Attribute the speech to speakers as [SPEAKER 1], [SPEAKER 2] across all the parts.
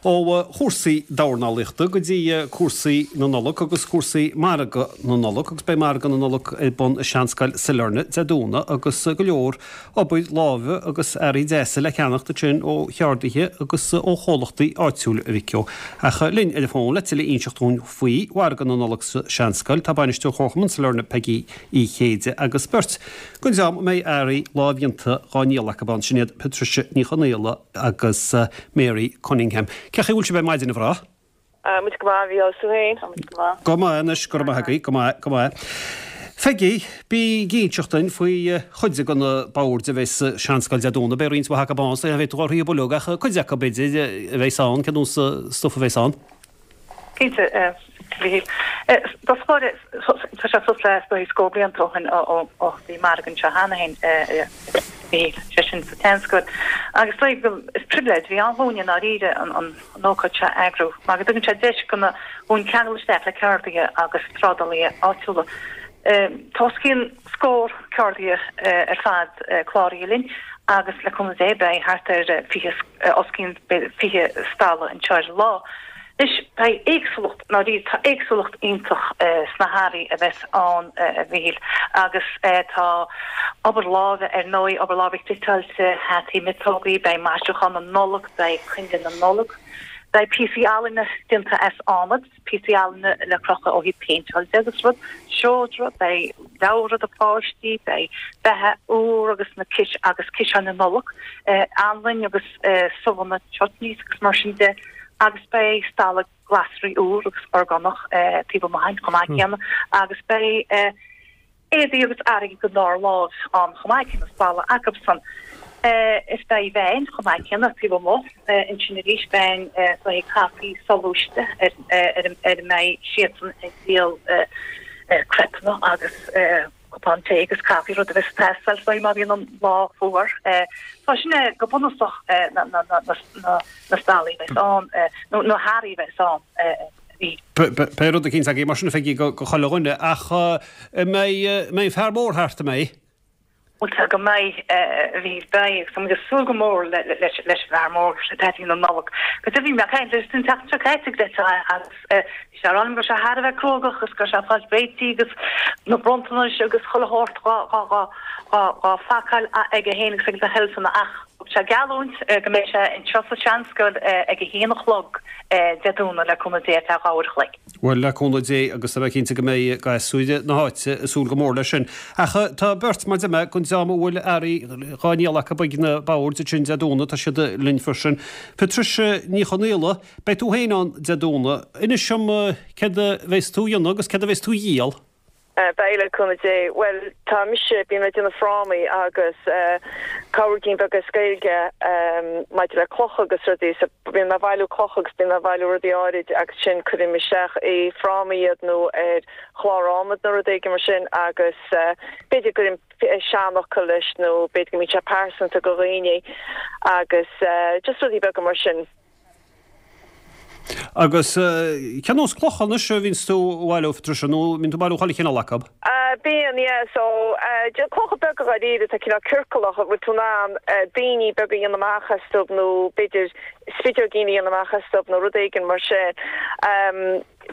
[SPEAKER 1] Ó chúrsaí dornálaíochta go dtí cúrsaí na Nollag agus cúrsaí margadh na Nollag agus beidh margadh na Nollag ar bun i Seanscoil Sailearna Dé Domhnaigh agus go leor obair láimhe agus earraí deasa le ceannacht ansin ó cheardaithe agus ó chomhlachtaí áitiúil a Mhic Ó. Ach linn ar an bhfón le tuilleadh a inseacht dúinn faoi mhargadh na Nollag sa Seanscoil tá Bainisteoir Chomharchumann Sailearna Peigí Uí Chéide agus beirt den dream a mbeidh earraí lámhdhéanta dhá ndíol acu ann, sin iad Patricia Ní Chonaola agus Mary Cunningham. Cén chaoi a bhfuil sibh ar maidin, a mhná?
[SPEAKER 2] Tá muid go maith, a Mhícheál, is tú féin? Tá muid go
[SPEAKER 1] maith. Go maith anois, go raibh maith agaibh, go maith, go maith. Pheigí, bí ag inseacht duinn faoi chuid de na boird a bheas sa Seanscoil Dé Domhnaigh. Beidh roinnt mhaith acu ann, so ní bheidh tú á rith uilig ach cuid acu, b'fhéidir, a bheas ann, cén nós stuif a bheas ann?
[SPEAKER 2] Cinnte, a Mhíchíl. Tá tá sé suas le is dóigh scór blianta ó shin ó bhí margadh anseo cheana féin, a Mhíchíl, sé sin sa tSeanscoil. Agus is dóigh go, is pribhléid a bhí ann dhúinne i ndáiríre an ócáid seo a eagrú mar go dtugann sé deis do dhúinn ceangal isteach le ceardaithe agus trádálaithe áitiúla. Tá os cionn scór ceardaithe ar fad cláraithe linn agus le cúnamh Dé beidh thart ar 20, os cionn 20 stalla anseo ar an lá. Anois, beidh éagsúlacht, ndáiríre, tá éagsúlacht iontach sna hearraí a bheas ann, a Mhíchíl, agus tá obair láimhe, ar ndóigh, obair láimhe cniotáilte, hataí, miotógaí, beidh maisiúchán na Nollag, beidh coinnle na Nollag, beidh píosaí ealaíne déanta as adhmad, píosaí ealaíne le crochadh ó thaobh péinteáil de agus rud, seodra, beidh leabhra do pháistí, beidh beatha úr agus na cis agus ciseáin na Nollag, anlainn agus subhanna, chutneys agus mar sin de. agus beidh stalla glasraí úr agus orgánach taobh amuigh ann chomh maith céanna agus beidh éadaí agus earraí den dara láimh ann chomh maith céanna, stalla acusan. Is beidh veain chomh maith céanna taobh amuigh ansin arís, veain le haghaidh caife soghluaiste ar ar a mbeidh siadsan ag díol crêpeanna agus cupán tae agus caife, rud a bheas ag teastáil is dóigh má bhíonn an lá fuar. Tá sin é go bunúsach na stallaí a bheas ann, nó na hearraí a bheas ann.
[SPEAKER 1] Beidh rud eicínt agaibh mar sin a Pheigí go chuile dhuine ach an mbeidh an fear mór thart, an mbeidh?
[SPEAKER 2] Bhuel tá go mbeidh, a Mhíchíl, beidh agus tá muid ag súil go mór leis an bhfear mór, le Daidí na Nollag. Agus bhí mé ag caint leis an tseachtain seo caite agus bhí sé ag rá liom go raibh sé thar a bheith cruógach agus go raibh sé ag fáil réitithe agus na bronntanais agus chuile shórt dhá phacáil aige féin agus ag na heilfeanna ach thug sé geallúint go mbeidh sé anseo sa Seanscoil ag a haon a chlog Dé Domhnaigh le cúnamh Dé ar feadh 2 uair a chloig.
[SPEAKER 1] Bhuel, le cúnamh Dé, agus tá mé cinnte go mbeidh gasúir na háite ag súil go mór leis sin. Ach tá beirt, mar a deir mé, den dream a bhfuil earraí dhá ndíol acu ag na boird ansin Dé Domhnaigh, tá siad linn freisin. Patricia Ní Chonaola, beidh tú féin ann Dé Domhnaigh. Inis dom céard a bheas tú a dhéanamh agus céard a bheas tú a dhíol?
[SPEAKER 3] Beidh, le cúnamh Dé. Bhuel, tá mise, bím ag déanamh frámaí agus cabhairgín beag as Gaeilge maidir le clocha agus rudaí. So bíonn mé ag bailiú clocha agus bíonn mé ag bailiú rudaí áirid agus sin cuirim isteach i frámaí iad nó ar chlár adhmaid nó rud éigin mar sin agus b'fhéidir go gcuirim seanfhocal leis nó b'fhéidir go mbíonn sé pearsanta go dhaoine agus just rudaí beaga mar sin.
[SPEAKER 1] Agus cén nós clocha anois a bhíonns tú a bhailiú, a Phatricia, nó mbíonn tú ag bailiú chuile chineál acu?
[SPEAKER 3] Bíonn, yeah. So, clocha beaga dháiríre atá cineál ciorcalach a bhfuil tú in ann daoine beaga a dhéanamh amach astu nó b'fhéidir spideoigín a dhéanamh amach astu nó rud éigin mar sin.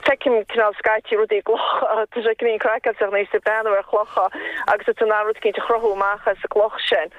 [SPEAKER 3] Feicim cineál scaití rudaí i gclocha, tá sé cineál craiceáilte nuair atá tú ag breathnú ar chlocha agus tá tú in ann rud eicínt a chruthú amach as an gcloch sin.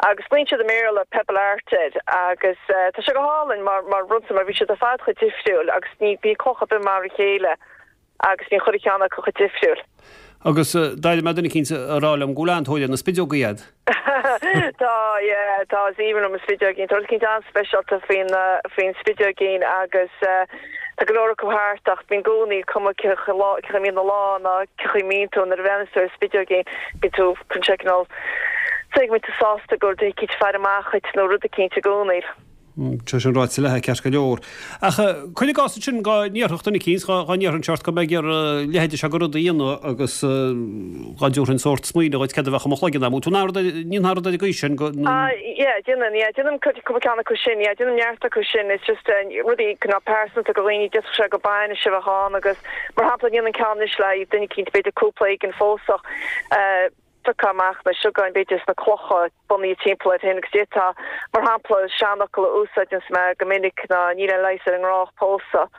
[SPEAKER 3] Agus glaonn siad i mBéarla pebble art air agus tá sé go hálainn mar mar rud mar bhí siad ar fad chomh difriúil agus ní bhíonn cloch ar bith mar a chéile agus bíonn chuile cheann acu chomh difriúil.
[SPEAKER 1] Agus d'airigh mé duine eicínt a rá liom go bhfuil an-tóir ar na spideogaí a'd.
[SPEAKER 3] Tá, yeah, tá, is aoibhinn liom an spideoigín. Tá rud eicínt an-speisialta faoin faoin spideoigín agus tá go leor acu thart ach bíonn i gcónaí cuma cé chaoi a mbíonn an lá ná cé chaoi a mbíonn tú nuair a bhreathnaíos tú ar spideoigín bíonn tú chun sé cineál Is go mbíonn tú sásta go bhfuil duine eicínt ag faire amach dhuit nó rud eicínt i gcónaí.
[SPEAKER 1] Tá sin ráite leat ceart go leor. Ach cuir i gcás ansin go n-iarrfadh duine eicínt, dhá n-iarrfainnse ort go mbeidh ag iarraidh a leithéide seo de rud a dhéanamh agus dhá dtabharfainn sórt smaoineamh dhuit céard a bheadh i mo chloigeann agam. Tú ná rud, ní ná rud ar an gcaoi sin go.
[SPEAKER 3] Ah yeah, déanann, yeah, déanaim cúpla ceann acu sin, yeah, déanaim neart acu sin, it's just rudaí cineál pearsanta do dhaoine, d'fhéadfadh sé gur bainis a bheadh ann agus mar shampla déanaim ceann anois le haghaidh duine eicínt b'fhéidir cúpla éigin phósadh. Phiocfá amach na siogáin b'fhéidir is na clocha bunaithe timpeall air féin agus d'fhéadfá, mar shampla, seanfhocal a úsáideanns mé go minic ná níl aon leigheas ar an ngrá ach pósadh.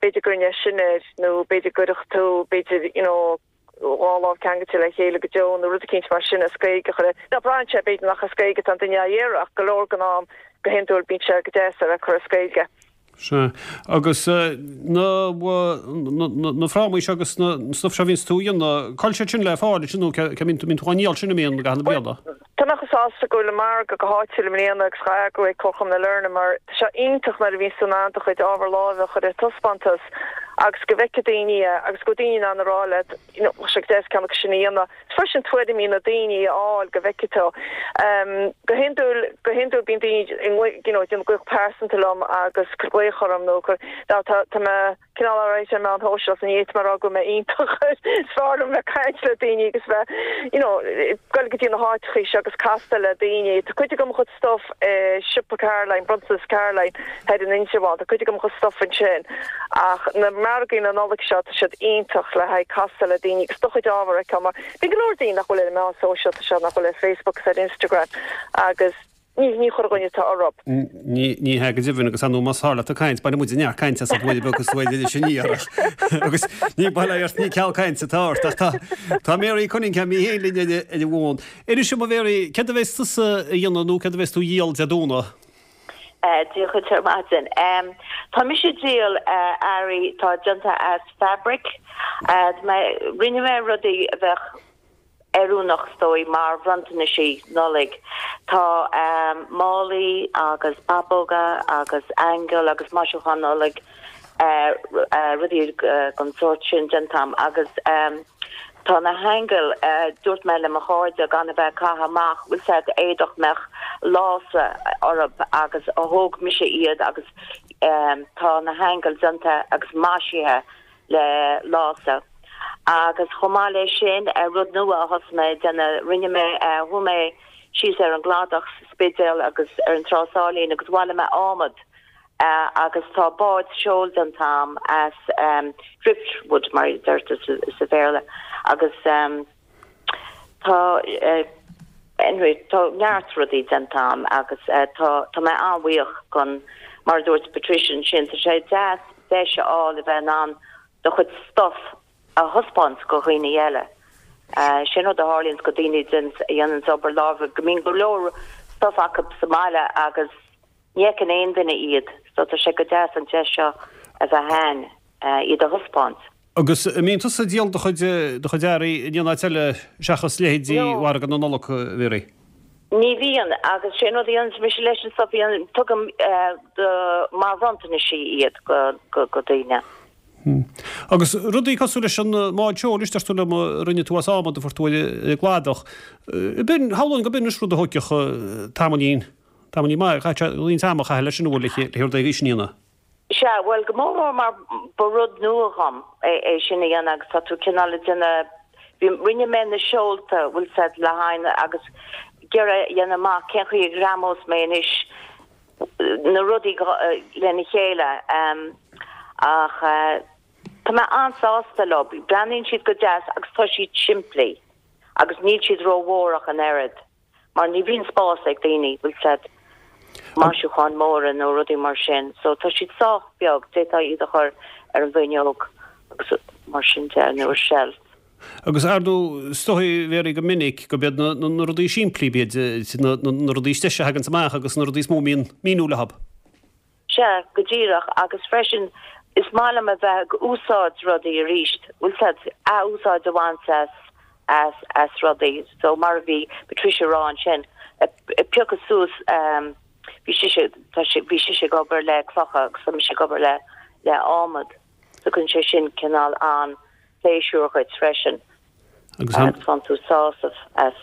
[SPEAKER 3] B'fhéidir go gcuirfinn é sin air nó b'fhéidir go gcuirfeadh tú, b'fhéidir, you know, dhá lámh ceangailte le chéile go deo nó rud eicínt mar sin as Gaeilge a chur air. Now braitheann sé b'fhéidir nach as Gaeilge atá an duine á iarraidh ach go leor den am, go hiondúil bíonn sé go deas a bheith curtha as Gaeilge.
[SPEAKER 1] Sea. Agus na, na frámaí seo agus na stuif seo a bhíonns tú a dhéanamh, cá bhfuil siad sin le fáil ansin nó cé mbíonn tú, mbíonn tú á ndíol sin an mbíonn i gcaitheamh na bliana?
[SPEAKER 3] Tá mé chomh sásta go bhfuil an margadh go háitiúil i mbliana agus dhá eagrú ag Comharchumann na Lorna mar tá sé iontach nuair a bhíonns tú in ann do chuid ábhar láimhe a chur ar taispeántas agus go bhfeicfidh daoine é agus go bhfuil daoine in ann a rá leat you know bheadh sé go deas ceann acu sin a dhéanamh. Is freisin tuairimí na daoine a fháil go bhfeicfidh tú. Go hiondúil, go hiondúil bíonn daoine you know ag déanamh glaoch pearsanta liom agus cur glaoch orm nó cur, now tá, tá mé cineál alright ar an meán shóisialta ní fhéadfaidh mé a rá go bhfuil mé iontach air. Is fearr liom bheith ag caint le daoine agus bheith you know goil go dtí na háiteachaí seo agus castáil le daoine. Tá cuid de mo chuid stuff i siopa Caroline, Bronntanas Caroline thoir in Indreabhán. Tá cuid de mo chuid stuff ansin. Ach na margaí na Nollag seo, tá siad iontach le haghaidh castáil le daoine agus do chuid ábhar a fheiceáil mar bíonn go leor daoine nach bhfuil ar an meán sóisialta seo, nach bhfuil ar Facebook agus ar Instagram agus ní, ní chuile dhuine atá orthu.
[SPEAKER 1] Ní, ní hea go deimhin agus ar ndóigh más fearr leat ag caint, bainfidh muid neart cainte asat uair beag is uair eile sin iar agus ní bail ort, ní ceal cainte atá ort ach tá, tá Mary Cunningham í féin linn ar an bhfón. Inis dom a Mhary, céard a bheas tusa a dhéanamh nó céard a bheas tú a dhíol Dé Domhnaigh?
[SPEAKER 4] Dia dhuit ar maidin. Tá mise ag díol earraí atá déanta as fabric. Rinne mé rudaí a bheadh oiriúnach is dóigh mar bhronntanaisí Nollaig. Tá málaí agus babóga agus aingil agus maisiúcháin Nollag rudaí den sórt sin déanta agam agus tá na haingil, dúirt mé le mo chairde gan a bheith ag caitheamh amach, bhfuil 's a'd, éadach mbeadh lása orthu agus thóg mise iad agus tá na haingil déanta agus maisithe le lása. Agus chomh maith leis sin, rud nua a thosaigh mé ag déanamh, rinne mé, chuaigh mé síos ar an gcladach sa Spidéal agus ar an Trá Sáilín agus bhailigh mé adhmad agus tá bád seoil déanta agam as driftwood mar a deirtear sa Bhéarla agus tá anyway tá neart rudaí déanta agam agus tá tá mé an-bhuíoch gon mar a dúirt Patricia ansin tá sé deas deis a fháil a bheith in ann do chuid stuff a thaispeáint go dhaoine eile. Sin rud a tharlaíonns go daoine a dhéananns obair láimhe go mbíonn go leor stuff acu sa mbaile agus Ní fheiceann aon duine iad, so tá sé go deas an deis seo a bheith a'ainn iad a thaispeáint.
[SPEAKER 1] Agus an mbíonn tusa ag díol do chuid, do chuid earraí in aon áit eile seachas leithéidí mhargadh na Nollag, a Mhary?
[SPEAKER 4] Ní bhíonn, agus sé an rud a dhéananns mise leis an stuff, tugaim do, mar bhronntanaisí iad go, go, go daoine.
[SPEAKER 1] Agus rudaí cosúil leis an mbád seoil, is deir tú liom, a rinne tú as adhmad a fuair tú ar an gcladach. B'in, shamhlóinn go b'in anois rud a thóigfeadh tamaillín. Tamaillín maith, caithfidh sé roinnt ama a chaitheamh leis sin an bhfuil le rud éigin sin a dhéanamh.
[SPEAKER 4] Sea, bhuel, go mór mór mar ba rud nua dhom é sin a dhéanamh agus tá tú cineál ag déanamh, bhí, rinne mé na seolta, bhfuil 's a'd, le haghaidh na, agus ag iarraidh a dhéanamh amach cén chaoi a ghreamós mé anois na rudaí lena chéile ach tá mé an-sásta leo, breathnaíonn siad go deas agus tá siad simplí agus níl siad rómhór ach an oiread. mar ní bhíonn spás ag daoine, bhfuil 's a'd, maisiúcháin móra nó rudaí mar sin, so tá siad sách beag, d'fhéadfá iad a chur ar an bhfuinneog agus mar sin de, nó ar shelf.
[SPEAKER 1] Agus ar ndóigh, is dóigh, Mhary, go minic go b'iad na rudaí simplí, b'iad na rudaí is deise a thaganns amach agus na rudaí is mó a mbíonn míniú leo.
[SPEAKER 4] Sea, go díreach, agus freisin is maith liom a bheith ag úsáid rudaí arís, bhfuil 's a'd, ath-úsáid a bhaint as, as, as rudaí. So mar a bhí Patricia a rá ansin, ag piocadh suas, ehm, bhí sise, tá sí, bhí sise ag obair le clocha agus tá mise ag obair le, le adhmad. Tugann sé sin cineál an-phléisiúr dhuit freisin.
[SPEAKER 1] Agus an.
[SPEAKER 4] Faigheann tú sásamh as.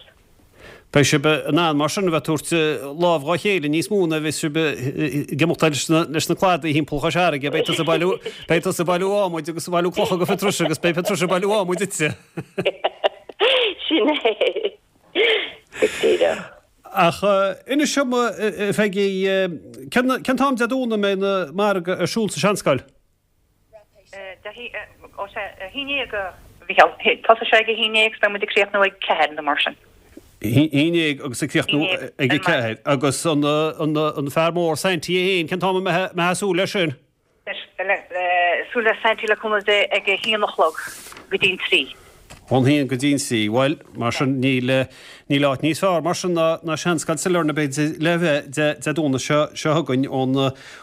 [SPEAKER 1] Beidh sibh in ann mar sin a bheith ag tabhairt lámh dhá chéile níos mó ná a bheas sibh ag imeacht leis na leis na cladaí thimpeall Chois Fharraige. Beidh tusa ag bailiú beidh tusa ag bailiú adhmaid agus ag bailiú clocha go Patricia agus beidh Patricia ag bailiú adhmaid duitse.
[SPEAKER 4] Sin é. Go díreach.
[SPEAKER 1] Ach inis dom a Pheigí, cén cén t-am Dé Domhnaigh a mbeidh na margadh ar siúl sa Seanscoil?
[SPEAKER 2] Ó sea, 11 a. Mhícheál. Tosóidh sé ag a haon dhéag agus beidh muid ag críochnú ag ceathair nó mar sin.
[SPEAKER 1] Haon dhéag agus ag críochnú ag a ceathair. Agus an fear mór Saintí é féin, cén t-am a mbeifeá ag súil leis sin?
[SPEAKER 2] Súil le Saintí le cúnamh Dé ag a haon a chlog go dtí'n trí.
[SPEAKER 1] Ón haon go dtí'n trí. Bhuel, mar sin, níl, níl áit níos fearr mar sin ná, ná Seanscoil Sailearna b'fhéidir le bheith Dé, Dé Domhnaigh seo, seo chugainn ón,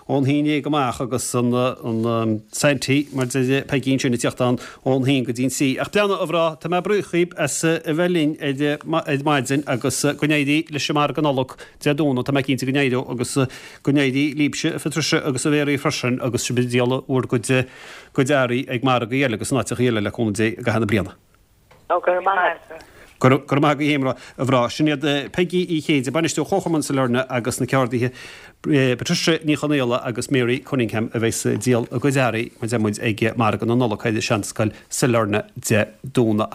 [SPEAKER 1] ón haon dhéag amach agus an, an Saintí, mar deir Peigí ansin, ag tíocht ann ón haon go dtí'n trí. Ach breathnaigh, a mhná, tá mé buíoch dhíbh as a bheith linn ar, ar maidin agus go n-éirí leis an margadh Nollag Dé Domhnaigh, tá mé cinnte go n-éireoidh agus go n-éirí libhse, a Phatricia agus a Mhéaraí freisin agus sibh ag díol bhur gcuid, gcuid earraí ag margaí eile agus in áiteachaí eile le cúnamh Dé i gcaitheamh na bliana.
[SPEAKER 4] Ó, go raibh maith
[SPEAKER 1] agat. Go raibh maith agat féin, a mhná. Sin iad Peigí Uí Chéide, Bainisteoir Chomharchumann Sailearna agus na ceardaithe Patricia Ní Chonaola agus Mary Cunningham a bheas ag díol a gcuid earraí, mar a deir muid, ag Margadh na Nollag ar Seanscoil Sailearna Dé Domhnaigh.